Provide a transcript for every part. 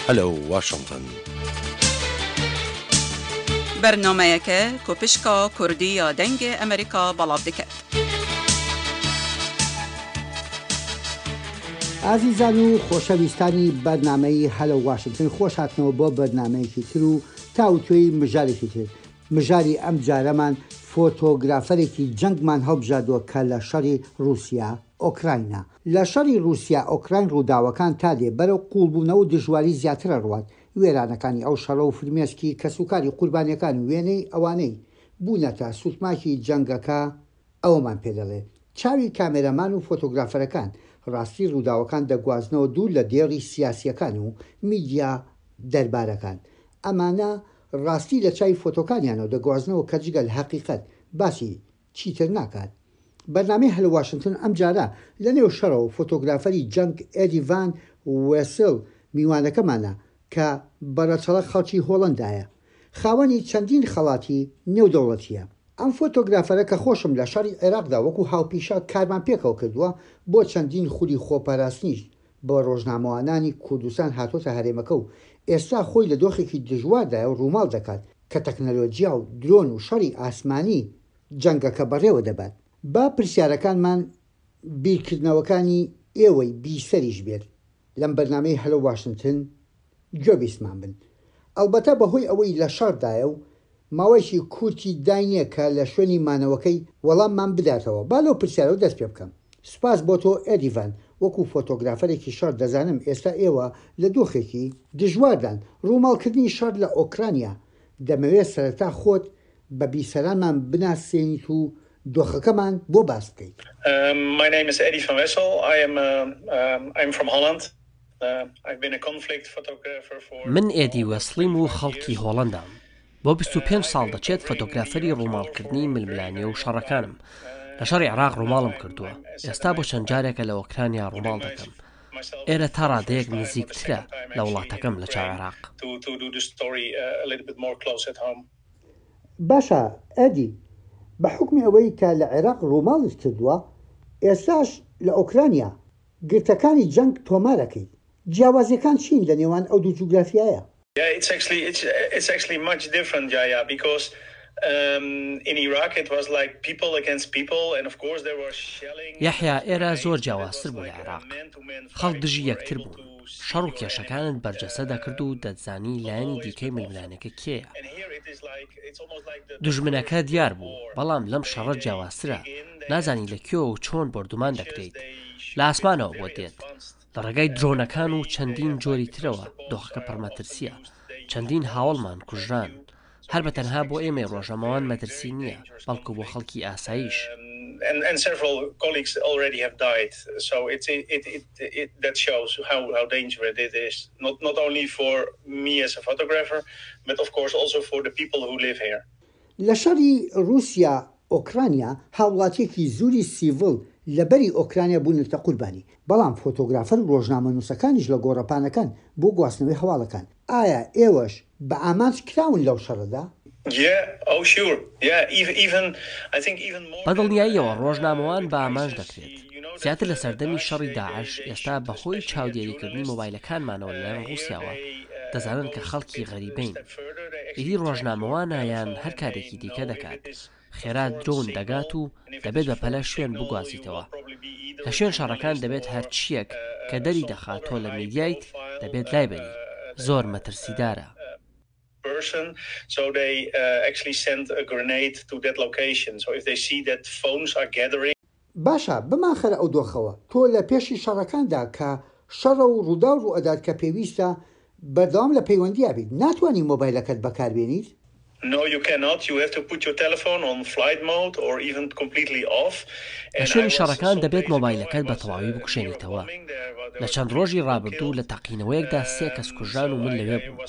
Hello Washington. Bernameyeke ku pişka Kurdî ya Dengê Amerîka belav dike. ئازیزان و خۆشەویستانی بەرنامەی هەلۆ واشنتن خۆش هاتنەوە بۆ بەرنامەیەکی تر و تاوتوێی مژارێکی تر. مژاری ئەم جارەمان فۆتۆگرافەرێکی جەنگمان هەڵبژاردووە کە لە شەڕی ڕووسیا ئۆکراینە. لە شەڕی ڕووسیا ئۆکراین ڕووداوەکان تا دێ بەرەو قووڵبوونەوە و دژواری زیاتر ئەڕوات. وێرانەکانی ئەو شەڕە و فرمێسکی کەسوکاری قوربانیەکان و وێنەی ئەوانەی بوونەتە سوتماکی جەنگەکە ئەوەمان پێ دەڵێت. چاوی کامێرامان و فۆتۆگرافەرەکان ڕاستی ڕووداوەکان دەگوازنەوە دوور لە دێڕی سیاسیەکان و میدیا دەربارەکان. ئەمانە ڕاستی لە چاوی فۆتۆکانیانەوە دەگوازنەوە کە جگە لە هەقیقەت باسی چیتر ناکات. بەرنامەی هەلۆ واشنتن ئەمجارە لە نێو شەڕەوە فۆتۆگرافەری جەنگ ئێدی ڤان وێسل میوانەکەمانە کە بە ڕەچەڵەک خەڵکی هۆڵەندایە. خاوەنی چەندین خەڵاتی نێودەوڵەتییە. ئەم فۆتۆگرافەرە کە خۆشم لە شەڕی عێراقدا وەکو هاوپیشە کارمان پێکەوە کردووە، بۆ چەندین خولی خۆپاراستنیش بە ڕۆژنامەوانانی کوردستان هاتۆتە هەرێمەکە و ئێستا خۆی لە دۆخێکی دژواردایە و ڕووماڵ دەکات کە تەکنەلۆجیا و درۆن و شەڕی ئاسمانی جەنگەکە بەڕێوە دەبات. با پرسیارەکانمان بیرکردنەوەکانی ئێوەی بیسەریش بێت لەم بەرنامەی هەلۆ واشنتن گوێبیستمان بن. ئەڵبەتە بەهۆی ئەوەی لە شەڕدایە و ماوەیەکی کورتی داینێ کە لە شوێنی مانەوەکەی وەڵاممان بداتەوە. با لەو پرسیارەوە دەست پێ بکەم. سوپاس بۆ تۆ ئێدی ڤان، وەکو فۆتۆگرافەرێکی شەڕ دەزانم ئێستا ئێوە لە دۆخێکی. دژواردان، ڕووماڵکردنی شەڕ لە ئۆکرانیا. دەمەوێت سەرەتا خۆت بە بیسەرانمان بناسێنیت و دۆخەکەمان بۆ باس بکەیت. My name is Eddy van Wessel. I am I'm from Holland. من ئێدی وێسڵیم و خەڵکی هۆڵەندام. بۆ 25 ساڵ دەچێت فۆتۆگرافەری ڕووماڵکردنی ململانێ و شەڕەکانم. لە شەڕی عێراق ڕووماڵم کردووە. ئێستا بۆ چەند جارێکە لە ئۆکرانیا ڕووماڵ دەکەم. ئێرە تا ڕادەیەک نزیکترە لە وڵاتەکەم لە چاو عێراق. باشە ئێدی، بە حوکمی ئەوەی کە لە عێراق ڕووماڵت کردووە، ئێستاش لە ئۆکرانیا گرتەکانی جەنگ تۆمار ئەکەیت، جیاوازیەکان چین لە نێوان ئەو دوو جوگرافیایە؟ یەحیا، ئێرە زۆر جیاوازتر بوو لە عێراق، خەڵک دژی یەکتر بوون، شەڕ و کێشەکانت بەرجەستە دەکرد و دەتزانی لایەنی دیکەی ململانێکە کێیە. دوژمنەکە دیار بوو، بەڵام لەم شەڕە جیاوازترە، نازانی لە کوێوە و چۆن بۆردومان دەکرێیت، لە ئاسمانەوە بۆت دێت، لە ڕێگای درۆنەکان و چەندین جۆری ترەوە، دۆخەکە پڕمەترسییە، چەندین هاوەڵمان کوژران، هەر بە تەنها بۆ ئێمەی ڕۆژنامەوان مەترسی نییە، بەڵکو بۆ خەڵکی ئاساییش. لە شەڕی ڕووسیا ئۆکرانیا هاوڵاتیەکی زوری سیڤڵ لە بەری ئۆکرانیا بوونەتە قوربانی، بەڵام فۆتۆگرافەر و ڕۆژنامەنووسەکانیش لە گۆڕەپانەکان بۆ گواستنەوەی هەواڵەکان. ئایا ئێوەش بە ئامانج کراون لەو شەڕەدا؟ بە دڵنیاییەوە ڕۆژنامەوان بە ئامانج دەکرێت. زیاتر لە سەردەمی شەڕی داعش، ئێستا بەهۆی چاودێریکردنی مۆبایلەکانمانەوە لەلایەن ڕووسیاوە، دەزانن کە خەڵکی غەریبەین. ئیدی ڕۆژنامەوانە یان هەر کارێکی دیکە دەکات، خێرا درۆن دەگات و دەبێت بە پەلە شوێن بگوازیتەوە. لە شوێن شەڕەکان دەبێت هەرچییەک کە دەری دەخات تۆ لە میدیایت دەبێت لایبەری. زۆر مەترسیدارە. باشە بمانخەرە ئەو دۆخەوە، تۆ لە پێشی شەڕەکاندا کە شەڕە و ڕووداو ڕووئەدات کە پێویستە بەردەوام لە پەیوەندیا بیت، ناتوانی مۆبایلەکەت بەکاربێنیت؟ لە شوێنی شەڕەکان دەبێت مۆبایلەکەت بە تەواوی بکوژێنیتەوە. لە چەند ڕۆژی ڕابردوو لە تەقینەوەیەکدا سێ کەس کوژران و من لەوێ بووم.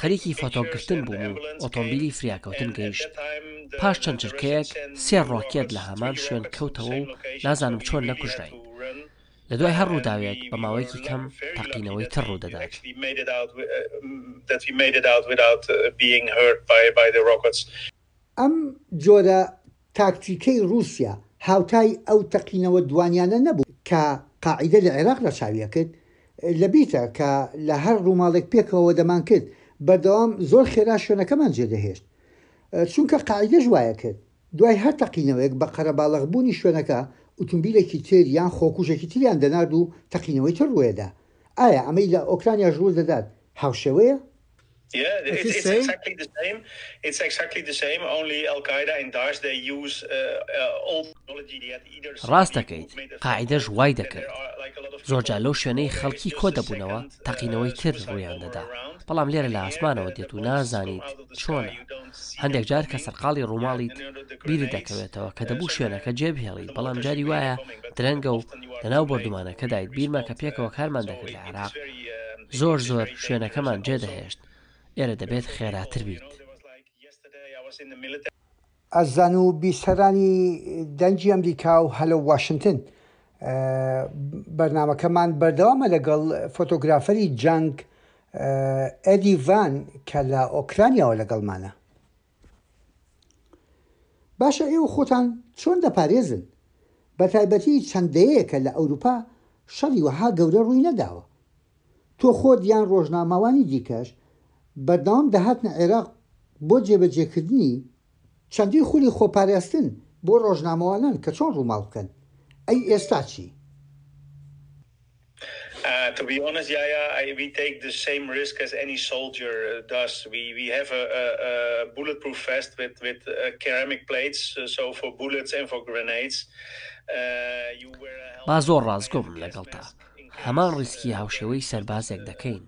خەریکی فۆتۆگرتن بووم و ئۆتۆمبیلی فریاکەوتن گەیشت. پاش چەند چرکەیەک سێ ڕۆکێت لە هەمان شوێن کەوتەوە و نازانم چۆن نەکوژراین. لە دوای هەر ڕووداوێک بە ماوەیەکی کەم تەقینەوەی تر ڕوودەدات. ئەم جۆرە تاکتیکەی ڕووسیا هاوتای ئەو تەقینەوە دوانیانە نەبوو کە قاعیدە لە عێراق ڕەچاوی ئەکرد. لەبیرتە کە لە هەر ڕووماڵێک پێکەوە دەمانکرد، بەردەوام زۆر خێرا شوێنەکەمان جێدەهێشت. چونکە قاعیدەش وایەکرد. دوای هەر تەقینەوەیەک بە قەرەباڵغبوونی شوێنەکە، ئوتومبیلێکی تر یان خۆکوژێکی تریان دەنارد و تەقینەوەی تر ڕووێدا. ئایا ئەمەی لە ئۆکرانیاش ڕوودەدات هاوشێوەیە؟ ڕاست دەکەیت، قاعیدەش وای دەکرد. زۆرجار لەو شوێنەی خەڵکی کۆدەبوونەوە تەقینەوەی تر ڕوویان دەدا، بەڵام لێرە لە ئاسمانەوە دێت و نازانیت چۆنە. هەندێک جار کە سەرقاڵی ڕووماڵیت بیرت دەکەوێتەوە کە دەبوو شوێنەکە جێبهێڵیت، بەڵام جاری وایە درەنگە و لەناو بۆردومانەکەدایت، بیرمە کە پێکەوە کارمان دەکرد لە عێراق، زۆر زۆر شوێنەکەمان جێدەهێشت، ئێرە دەبێت خێراتر بیت. ئازیزان و بیسەرانی دەنگی ئەمریکا و هەلۆ واشنتن بەرنامەکەمان بەردەوامە لەگەڵ فۆتۆگرافەری جەنگ ئێدی ڤان کە لە ئۆکرانیاوە لەگەڵمانە. باشە ئێوە خۆتان چۆن دەپارێزن؟ بەتایبەتی چەند دەیەیەکە لە ئەوروپا شەڕی وەها گەورە ڕووی نەداوە. تۆ خۆت یان ڕۆژنامەوانی دیکەش بەردەوام دەهاتنە عێراق بۆ جێبەجێکردنی چەندین خولی خۆپاراستن بۆ ڕۆژنامەوانان کە چۆن ڕووماڵ بکەن، ئەی ئێستا چی؟ با زۆر ڕاستگۆ بم لەگەڵتا، هەمان ڕیسکی هاوشێوەی سەربازێک دەکەین.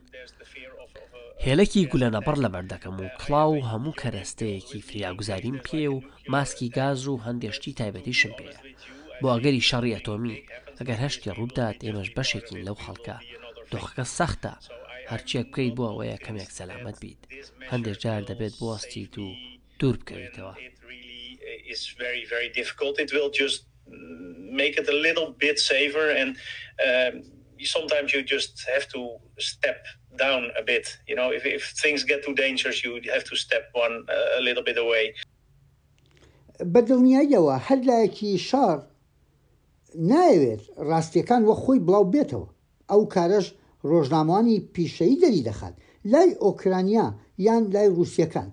هێلەکی گولەنەبڕ لەبەر دەکەم و کڵاو و هەموو کەرەستەیەکی فریاگوزاریم پێیە و ماسکی گاز و هەندێ شتی تایبەتیشم پێیە بۆ ئەگەری شەڕی ئەتۆمی، ئەگەر هەر شتێ ڕووبدات ئێمەش بەشێکین لەو خەڵکە، دۆخەکە سەختە، هەرچیەک بکەیت بۆ ئەوەیە کەمێک سەلامەت بیت، هەندێ جار دەبێت بوەستیت و دوور بکەویتەوە. بە دڵنیاییەوە هەر لایەکی شەڕ نایەوێت ڕاستییەکان وەک خۆی بڵاو بێتەوە، ئەو کارەش ڕۆژنامەوانی پیشەیی دەریدەخات، لای ئۆکرانیا یان لای ڕووسییەکان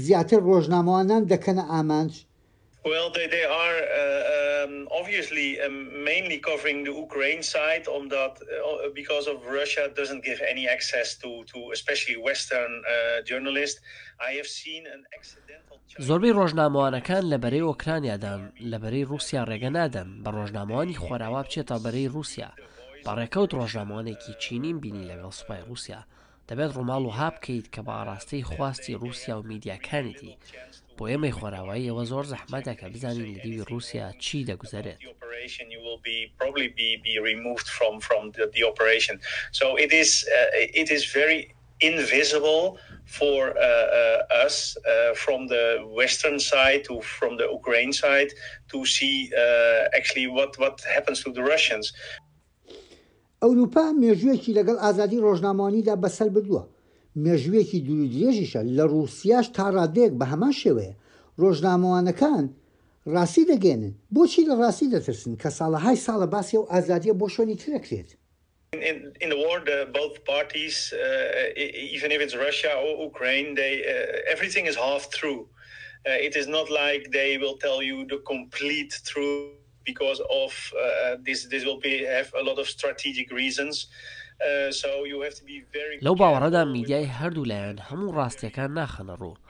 زیاتر ڕۆژنامەوانان دەکەنە ئامانج؟ Well they they are obviously mainly covering the Ukraine side omdat because of Russia doesn't give any access to to especially western journalists I have seen an accidental زۆربەی ڕۆژنامەوانەکان لە بەرەی ئۆکرانیادان، لە بەرەی ڕووسیا ڕێگە نادەن بە ڕۆژنامەوانی خۆراوا بچێتە بەرەی ڕووسیا، بە ڕێکەوت ڕۆژنامەوانێکی چینیم بینی لەگەڵ سوپای ڕووسیا، دەبێت ڕووماڵ وەها بکەیت کە بە ئاڕاستەی خواستی ڕووسیا و میدیاکانیتی، بۆ ئێمەی خۆراوایی ئەوە زۆر زەحمەتە کە بزانین لە دیوی ڕووسیا چی دەگوزەرێت. invisible for us from the western side to from the Ukraine side to see actually what what happens to the Russians. ئەوروپا مێژوویەکی لەگەڵ ئازادی ڕۆژنامەوانیدا بەسەر بردووە، مێژوویەکی دوورودرێژیشە، لە ڕووسیاش تا ڕادەیەک بە هەمان شێوەیە، ڕۆژنامەوانەکان ڕاستی دەگەیەنن، بۆچی لە ڕاستی دەترسن کە ساڵەهای ساڵە باسی ئەو ئازادییە بۆ شوێنی تر ئەکرێت؟ In the war the both parties even if it's Russia or Ukraine they everything is half true it is not like they will tell you the complete truth because of this this will be have a lot of strategic reasons so you have to be very لەو باوەڕەدام میدیای هەردوو لایەن هەموو ڕاستیەکان ناخەنە ڕوو،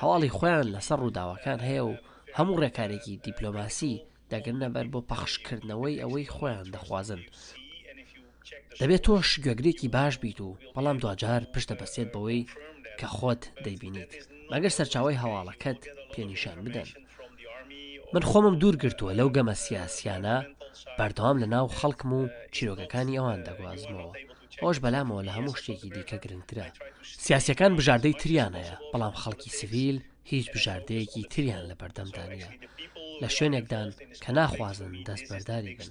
هەواڵی خۆیان لەسەر ڕووداوەکان هەیە و هەموو ڕێکارێکی دیپلۆماسی دەگرنە بەر بۆ پەخشکردنەوەی ئەوەی خۆیان دەخوازن. دەبێت تۆش گوێگرێکی باش بیت و بەڵام دواجار پشت دەبەستێت بەوەی کە خۆت دەیبینیت، مەگەر سەرچاوەی هەواڵەکەت پێ نیشان بدەن. من خۆمم دوور گرتووە لەو گەمە سیاسیانە، بەردەوام لە ناو خەڵکم و چیرۆکەکانی ئەوان دەگوازمەوە. ئەوەش بەلامەوە لە هەموو شتێکی دیکە گرنگترە. سیاسیەکان بژاردەی تریان هەیە، بەڵام خەڵکی سڤیل هیچ بژاردەیەکی تریان لەبەردەمدا نییە. لە شوێنێکدان کە ناخوازن دەستبەرداری بن.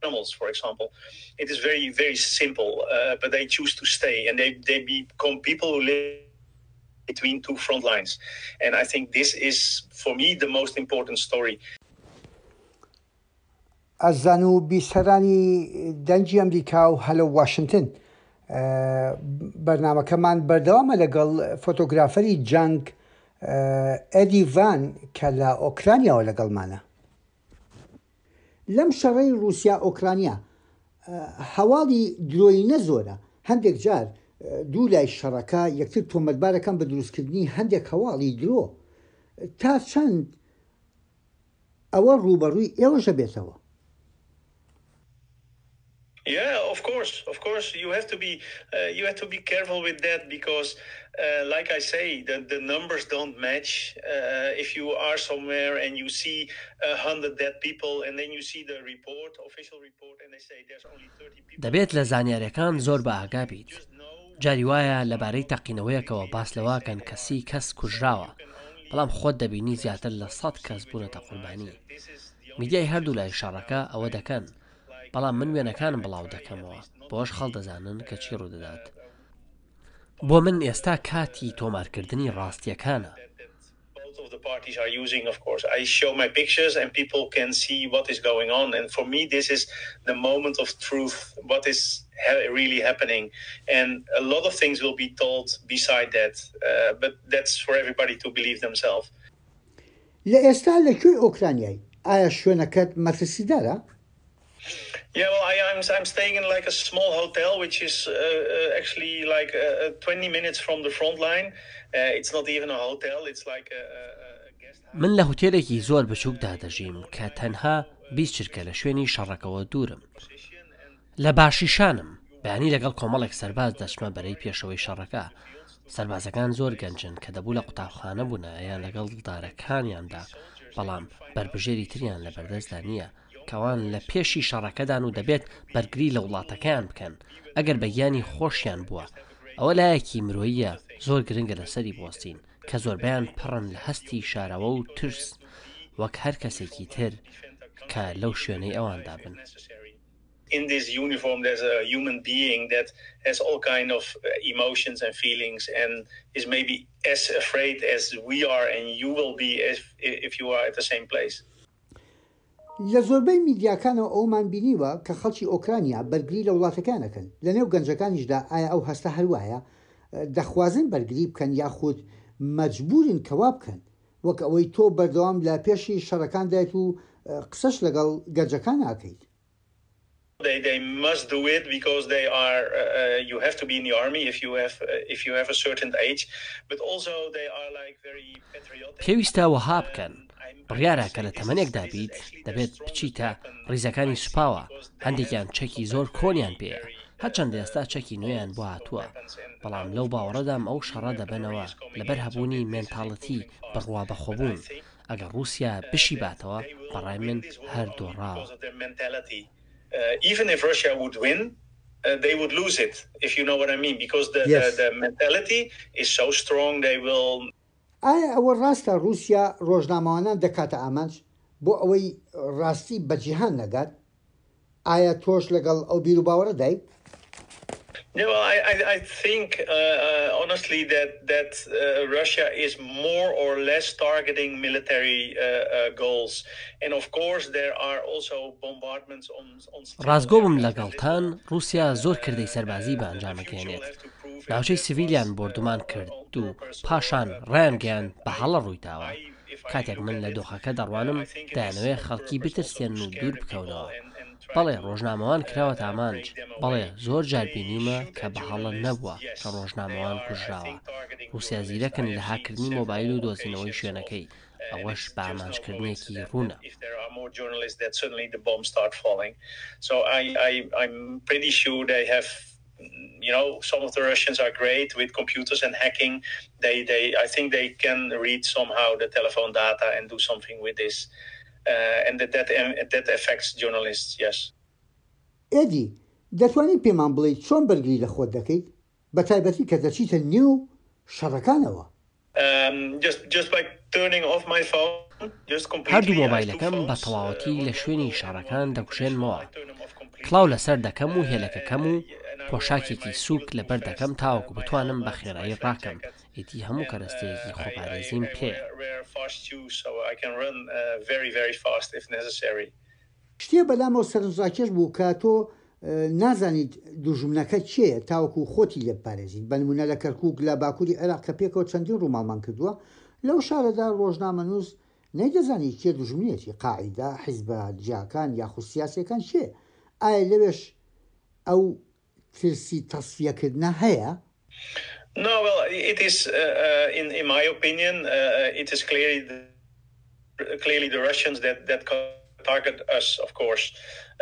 Animals for example it is very very simple uh, but they choose to stay and they they become people who live between two front lines and I think this is for me the most important story. ئازیزان و بیسەرانی دەنگی ئەمریکا و هەلۆ واشنتن بەرنامەکەمان بەردەوامە لەگەڵ فۆتۆگرافەری جەنگ ئێدی ڤان کە لە ئۆکرانیاوە لەگەڵمانە. لەم شەڕەی ڕووسیا ئۆکرانیا هەواڵی درۆیینە زۆرە، هەندێک جار دوو لای شەڕەکە یەکتر تۆمەتبارەکەن بە دروستکردنی هەندێک هەواڵی درۆ، تا چەند ئەوە ڕووبەڕووی ئێوەش ئەبێتەوە؟ Yeah, of course, of course, you have to be uh, you have to be careful with that because, uh, like I say, the, the numbers don't match. Uh, if you are somewhere and you see 100 dead people, and then you see the report, official report, and they say there's only 30 people. دەبێت لە زانیاریەکان زۆر بە ئاگا بیت. جاری وایە لەبارەی تەقینەوەیەکەوە باس لەوەکەن کە سی کەس کوژراوە، بەڵام خۆت دەبینی زیاتر لە سەد کەس بوونەتە قوربانی. میدیای هەردوولای شەڕەکە ئەوە دەکەن، بەڵام من وێنەکانم بڵاو دەکەمەوە، بەوەش خەڵ دەزانن کە چی ڕوودەدات. بۆ من ئێستا کاتی تۆمارکردنی ڕاستییەکانە. Both of the parties are using of course I show my pictures and people can see what is going on and for me this is the moment of truth what is really happening and a lot of things will be told beside that uh, but that's for everybody to believe themselves. لە ئێستا لە کوێی ئۆکرانیای؟ ئایا شوێنەکەت مەترسیدارە؟ Yeah, well, I, I'm, I'm staying in like a small hotel, which is uh, uh, actually like uh, uh 20 minutes from the front line. Uh, it's not even a hotel, it's like a, a guest house. من لە هوتێلێکی زۆر بچووکدا دەژیم کە تەنها 20 چرکە لە شوێنی شەڕەکەوە دوورم. لە باشیشانم، بەیانی لەگەڵ کۆمەڵێک سەرباز دەچمە بەرەی پێشەوەی شەڕەکە. سەربازەکان زۆر گەنجن کە دەبوو لە قوتابخانە بوونایە یان لەگەڵ دڵدارەکانیاندا، بەڵام بەربژێری تریان لەبەردەستدا نییە. کە ئەوان لە پێشی شەڕەکەدان و دەبێت بەرگری لە وڵاتەکەیان بکەن ئەگەر بە گیانی خۆشیان بووە ئەوە لایەکی مرۆییە زۆر گرنگە لەسەری بوەستین کە زۆربەیان پڕن لە هەستی شاراوە و ترس وەک هەر کەسێکی تر کە لەو شوێنەی ئەواندا بن. In this uniform there's a human being that has all kind of emotions and feelings and is maybe as afraid as we are and you will be if, if you are at the same place. لە زۆربەی میدیاکانەوە ئەوەمان بینیوە کە خەڵکی ئۆکرانیا بەرگری لە وڵاتەکەیان ئەکەن، لەنێو گەنجەکانیشدا ئایا ئەو هەستە هەر وایە؟ دەخوازن بەرگری بکەن یاخود مەجبورن کە وا بکەن؟ وەک ئەوەی تۆ بەردەوام لە پێشی شەڕەکاندایت و قسەش لەگەڵ گەنجەکان ئەکەیت. They they must do it because they are uh, you have to be in the army if you have uh, if you have a certain age but also they are like very patriotic. پێویستە وەها بکەن، بڕیارە کە لە تەمەنێکدا بیت دەبێت بچیتە ڕیزەکانی سوپاوە، هەندێکیان چەکی زۆر کۆنیان پێیە، هەرچەندە ئێستا چەکی نوێیان بۆ هاتووە، بەڵام لەو باوەڕەدام ئەو شەڕە دەبەنەوە لەبەر هەبوونی مێنتاڵێتی بڕوا بەخۆبوون، ئەگەر ڕووسیا بشیباتەوە بەڕای من هەر دۆڕاوە. ئایا ئەوە ڕاستە ڕووسیا ڕۆژنامەوانان دەکاتە ئامانج بۆ ئەوەی ڕاستی بە جیهان نەگات؟ ئایا تۆش لەگەڵ ئەو بیروباوەڕەدای؟ No, I, I, I think uh, uh, honestly that that uh, Russia is more or less targeting military uh, uh, goals, and of course there are also bombardments on on. ڕاستگۆ بم لەگەڵتان، ڕووسیا زۆر کردەی سەربازی بە ئەنجام ئەگەیەنێت. ناوچەی سڤیلیان بۆردومان کرد و پاشان ڕایانگەیاند بە هەڵە ڕوویداوە. کاتێک من لە دۆخەکە دەڕوانم دەیانەوێ خەڵکی بترسێنن و دوور بکەونەوە. بەڵێ ڕۆژنامەوان کراوەتە ئامانج، بەڵێ زۆر جار بینیومە کە بە هەڵە نەبووە کە ڕۆژنامەوان کوژراوە. ڕووسیا زیرەکن لە هاککردنی مۆبایل و دۆزینەوەی شوێنەکەی، ئەوەش بە ئامانجکردنێکی ڕوونە. You know some of the Russians are great with computers and hacking they they I think they can read somehow the telephone data and do something with this uh, and that that that affects journalists yes. ئێدی، دەتوانی پێمان بڵێیت چۆن بەرگری لە خۆت دەکەیت، بەتایبەتی کە دەچیتە نێو شەڕەکانەوە؟ هەردوو مۆبایلەکەم بە تەواوەتی لە شوێنی شەڕەکان دەکوژێنمەوە، کڵاو لەسەر دەکەم و هێلەکەکەم و پۆشاکێکی سووک لەبەر دەکەم تاوەکو بتوانم بە خێرایی ڕاکەم، ئیدی هەموو کەرەستەیەکی خۆپارێزیم پێیە. شتێ بەلامەوە سەرنجڕاکێش بوو کە تۆ نازانیت دوژمنەکە کێیە تاوەکو خۆتی لێ بپارێزیت، بە نموونە لە کەرکووک لە باکووری عێراق کە پێکەوە چەندین ڕووماڵمان کردووە، لەو شارەدا ڕۆژنامەنووس نەیدەزانی کێ دوژمنیەتی، قاعیدە، حیزبە جیاکان یاخود سیاسیەکان کێ؟ ئایا لەوێش ئەو ترسی تەسفیەکردنە هەیە؟ No, well, it is, uh, in, in my opinion, uh, it is clearly the, clearly the Russians that, that target us, of course,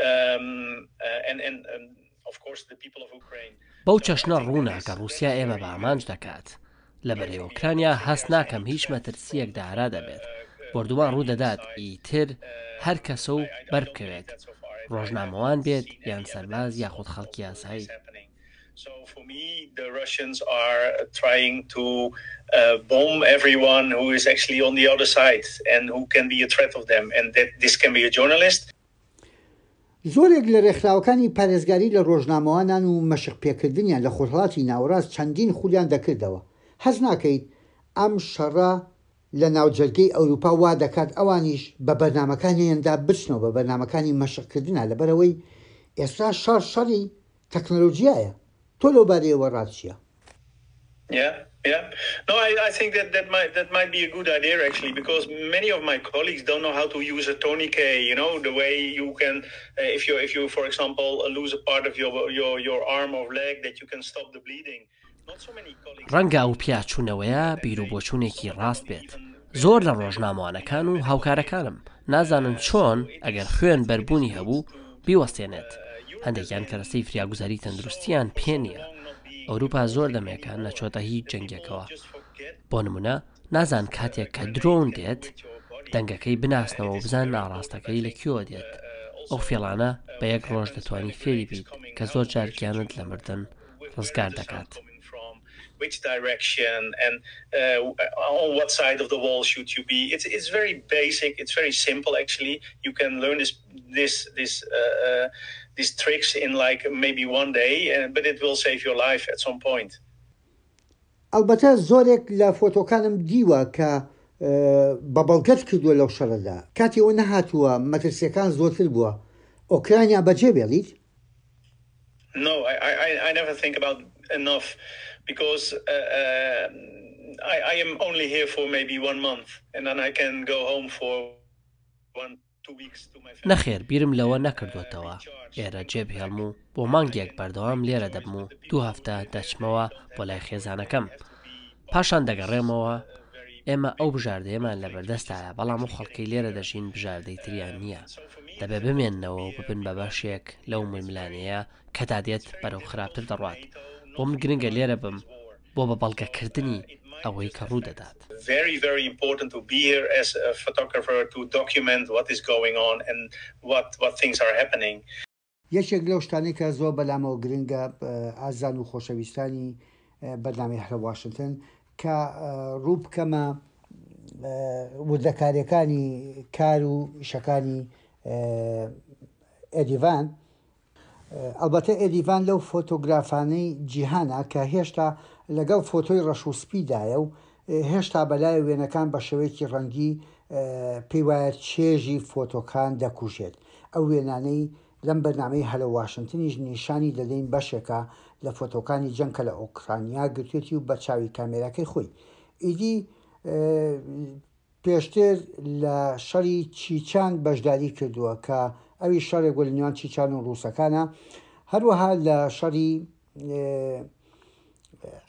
um, uh, and, and, and of course the people of Ukraine. بەو چەشنە ڕوونە کە ڕووسیا ئێمە بە ئامانج دەکات. لە بەرەی ئۆکرانیا هەست ناکەم هیچ مەترسییەک دارا دەبێت. بۆردومان ڕوودەدات، ئیتر هەر کەسە و بەربکەوێت، ڕۆژنامەوان بێت یان سەرباز یاخود خەڵکی ئاسایی. زۆرێک لە رێکخراوەکانی پارێزگاری لە رۆژنامەوانان و مەشق پێکردنیان لە خۆرهەڵاتی ناوەڕاست چەندین خولیان دەکردەوە. هەست ناکەیت ئەم شەڕە لە ناوجەرگەی ئەوروپا وا دەکات ئەوانیش بە بەرنامەکانیاندا بچنەوە بە بەرنامەکانی مەشقکردنا لەبەرئەوەی ئێستا شەڕ شەڕی تەکنەلۆجیایە تۆ لەو بارەیەوە ڕات چیە؟ Yeah, yeah. No, I, I think that that might that might be a good idea actually because many of my colleagues don't know how to use a tourniquet. You know, the way you can, uh, if you if you for example lose a part of your your your arm or leg, that you can stop the bleeding. ڕەنگە ئەو پیاچوونەوەیە بیروبۆچوونێکی ڕاست بێت. زۆر لە ڕۆژنامەوانەکان و هاوکارەکانم نازانن چۆن ئەگەر خوێن بەربوونی هەبوو بیوەستێنێت. هەندێکیان کەرەستەی فریاگوزاری تەندروستییان پێ نییە. ئەوروپا زۆر دەمێکە نەچۆتە هیچ جەنگێکەوە. بۆ نمونە نازان کاتێک کە درۆن دێت دەنگەکەی بناسنەوە و بزانن ئاڕاستەکەی لە کوێوە دێت. ئەو فێڵانە بە یەک ڕۆژ دەتوانی فێری بیت کە زۆر جار گیانت لە مردن ڕزگار دەکات. ئەڵبەتە زۆرێک لە فۆتۆکانم دیوە کە بە بەڵگەت کردووە لەو شەڕەدا کاتی ئەوە نەهاتووە مەترسیەکان زۆرتر بووە ئۆکرانیا بەجێ بێڵیت؟ No, I, I, I never think about enough because uh, uh, I, I am only here for maybe one month and then I can go home for one نەخێر بیرم لەوە نەکردووەتەوە ئێرە جێبهێڵم و بۆ مانگێک بەردەوام لێرە دەبم و دوو هەفتە دەچمەوە بۆ لای خێزانەکەم پاشان دەگەڕێمەوە ئێمە ئەو بژاردەیەمان لەبەردەستایە بەڵام ئەو خەڵکەی لێرە دەژین بژاردەی تریان نییە دەبێ بمێننەوە و ببن بە بەشێک لەو ململانێیە کە تا دێت بەرەو خراپتر دەڕوات بۆ من گرنگە لێرە بم بۆ بە بەڵگەکردنی ئەوەی کە ڕوودەدات. Very very important to be here as a photographer to document what is going on and what what things are happening. یەکێک لەو شتانەی کە زۆر بەلامەوە گرنگە ئازیزان و خۆشەویستانی بەرنامەی هەرە واشنتن کە ڕوو بکەمە وردەکاریەکانی کار و ئیشەکانی ئێدیڤان ئەڵبەتە ئێدیڤان لەو فۆتۆگرافانەی جیهانە کە هێشتا لەگەڵ فۆتۆی ڕەش و سپیدایە و هێشتا بەلای وێنەکان بە شێوەیەکی ڕەنگی پێی وایە چێژی فۆتۆکان دەکوژێت. ئەو وێنانەی لەم بەرنامەی هەلۆ واشنتنیش نیشانی دەدەین بەشێکە لە فۆتۆکانی جەنگ کە لە ئۆکرانیا گرتوێتی و بە چاوی کامێراکەی خۆی. ئیدی پێشتر لە شەڕی چیچان بەشداری کردووە کە ئەویش شەڕێک بووە لە نێوان چیچان و ڕووسەکانە. هەروەها لە شەڕی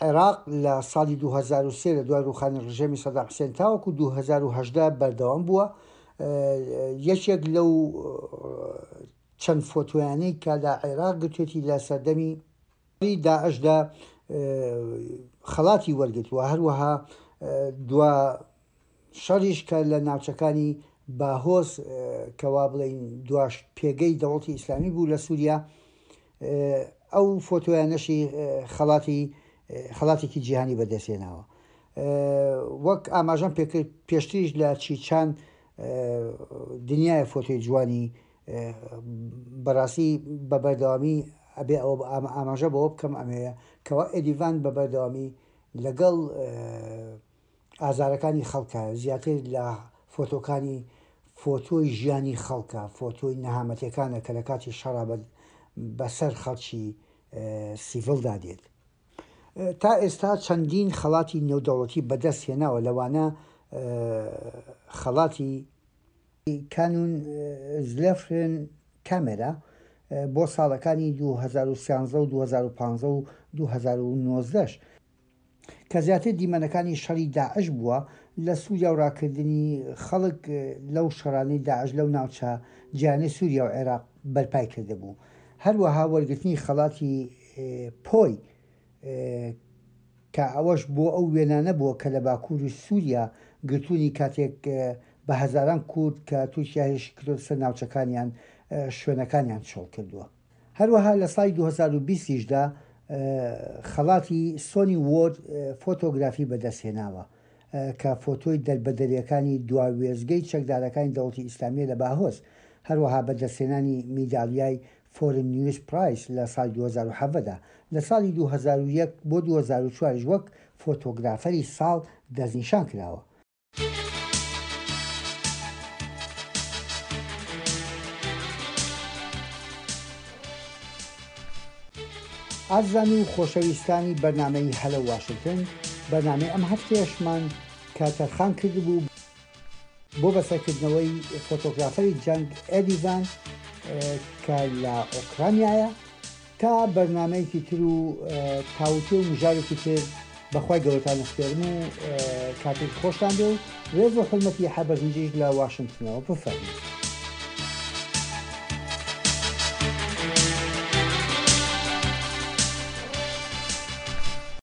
عێراق لە ساڵی 2003 لە دوای ڕووخانی ڕژێمی سەدام حسێن تاوەکو 2018 بەردەوام بووە. یەکێک لەو چەند فۆتۆیانەی کە لە عێراق گرتوێتی لە سەردەمی داعشدا خەڵاتی وەرگرتووە، هەروەها دوا شەڕیش کە لە ناوچەکانی باهۆز کە وا بڵێین دواش پێگەی دەوڵەتی ئیسلامی بوو لە سووریا ئەو فۆتۆیانەشی خەڵاتی خەڵاتێکی جیهانی بەدەستهێناوە. وەک ئاماژەم پێکرد پێشتریش لە چیچان دنیایە فۆتۆی جوانی بەڕاستی بە بەردەوامی ئەبێ ئەوە ئاماژە بەوە بکەم ئەمەیە کەوا ئێدیڤان بە بەردەوامی لەگەڵ ئازارەکانی خەڵکە زیاتر لە فۆتۆکانی. فۆتۆی ژیانی خەڵکە، فۆتۆی نەهامەتیەکانە کە لە کاتی شەڕا بەسەر خەڵکی سیڤڵدا دێت. تا ئێستا چەندین خەڵاتی نێودەوڵەتی بەدەست هێناوە لەوانە خەڵاتی، کانون زلێفرن کامێرا، بۆ ساڵەکانی 2013 و 2015 و 2019 ش. کە زیاتر دیمەنەکانی شەڕی داعش بووە لە سوریا و راکردنی خەڵک لەو شەڕانەی داعش لەو ناوچە جیانەی سوریا و عێراق بەرپای کردبوو. هەروەها وەرگرتنی خەڵاتی پۆی کە ئەوەش بۆ ئەو وێنانە بووە کە لە باکووری سوریا گرتوونی کاتێک بە هەزاران کورد کە تورکیا هێرشی کردۆتە سەر ناوچەکانیان شوێنەکانیان چۆڵ کردووە. هەروەها لە ساڵی 2020 یشدا خەڵاتی سۆنی وۆرد فۆتۆگرافی بەدەستهێناوە کە فۆتۆی دەربەدەرییەکانی دوا وێستگەی چەکدارەکانی دەوڵەتی ئیسلامییە لە باهۆز، هەروەها بەدەستهێنانی میدالیای فۆرن نیوز پرایس لە ساڵی 2017 دا. لە ساڵی 2001 بۆ 2004 یش وەک فۆتۆگرافەری ساڵ دەستنیشان کراوە. ئازیزان و خۆشەویستانی بەرنامەی هەلۆ واشنتن، بەرنامەی ئەم هەفتەیەشمان کە تەرخان کردبوو بۆ بەسەرکردنەوەی فۆتۆگرافەری جەنگ ئێدی ڤان کە لە ئۆکرانیایە، تا بەرنامەیەکی تر و تاوتوێ و مژارێکی تر بەخوای گەورەتان ئەسپێرم و کاتێکی خۆشتان بێ و ڕێز و حورمەتی یەحیا بەرزنجیش لە واشنتنەوە بفەرموو.